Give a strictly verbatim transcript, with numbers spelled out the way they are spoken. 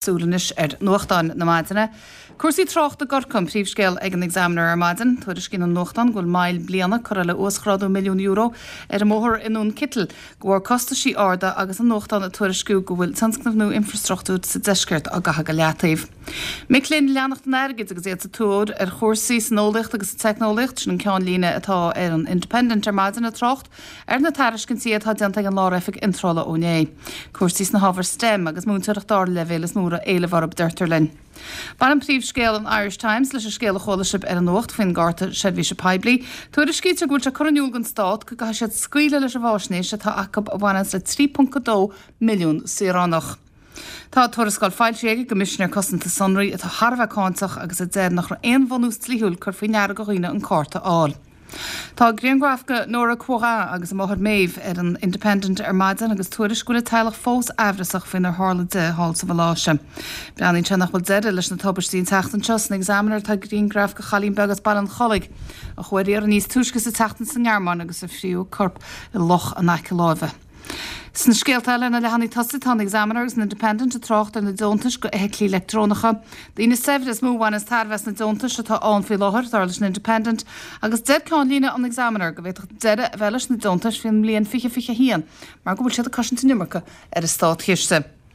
Súil anois ar nuachtáin na maidine. Cúrsaí tráchta i gCorcaigh an príomhscéal ag an Examiner ar maidin. Tuairiscíonn an nuachtán go bhfuil moill bliana curtha le uasghrádú milliún euro ar an mbóthar i nDún Citil, de bharr costaisí arda agus an nuachtán ag tuairisciú go bhfuil tionscnaimh nua infrastruchtúir sa deisceart á gcaitheamh go leataobh. Mic léinn ag leanacht an airgid agus iad sa tóir ar chúrsaí san eolaíocht agus sa teicneolaíocht, sin an ceannlíne atá ar an Independent ar maidin ag trácht ar na tairiscintí atá déanta ag an Lár-Oifig Iontrála ó inné. Cúrsaí sna hábhair STEM agus múinteoireacht dara leibhéal is mó a raibh éileamh orthu, deirtear linn. Baineann príomhscéal an Irish Times leis an scéal a chuala sibh ar an nuacht faoin gcárta seirbhíse poiblí. Tuairiscítear go bhfuil sé curtha in iúl don stát go gcaithfidh siad scaoileadh leis an bhfaisnéis atá acu a bhaineanns le trí ponc a dó milliún saoránach. Tá tuarascáil foilsithe ag an gCoimisinéir Cosanta Sonraí atá thar a bheith cáinteach agus a deir nach raibh aon bhunús dlíthiúil cur faoi ndeara do dhaoine an cárta a fháil. Tá grianghraf de Nóra Quoirin agus a máthair Maeve ar an Independent ar maidin agus tuairisc go bhfuil a teaghlach fós aimhreasach faoinar tharla di thall sa Mhaláise. Breathnaíonn sé nach bhfuil deireadh leis na tubaistí an tseachtain seo san Examiner tá grianghraf de chailín beag as Baile an Chollaigh a chuaigh ar iarraidh níos túisce sa tseachtain sa nGearmáin agus a fríothadh a corp i loch in aice láimhe. Sna scéalta eile ar na leathanaigh tosaigh tá an Examiner agus an Independent ag trácht ar na deontais do fheithiclí leictreonacha. Daoine saibhre is mó a bhaineas tairbhe as na deontais atá ann faoi láthair, dar leis an Independent, agus deir ceannlíne an Examiner go bhféadfadh deireadh a bheith leis na deontais faoin mbliain fiche fiche a haon mar go bhfuil siad ag cosaint an iomarca ar an státchiste.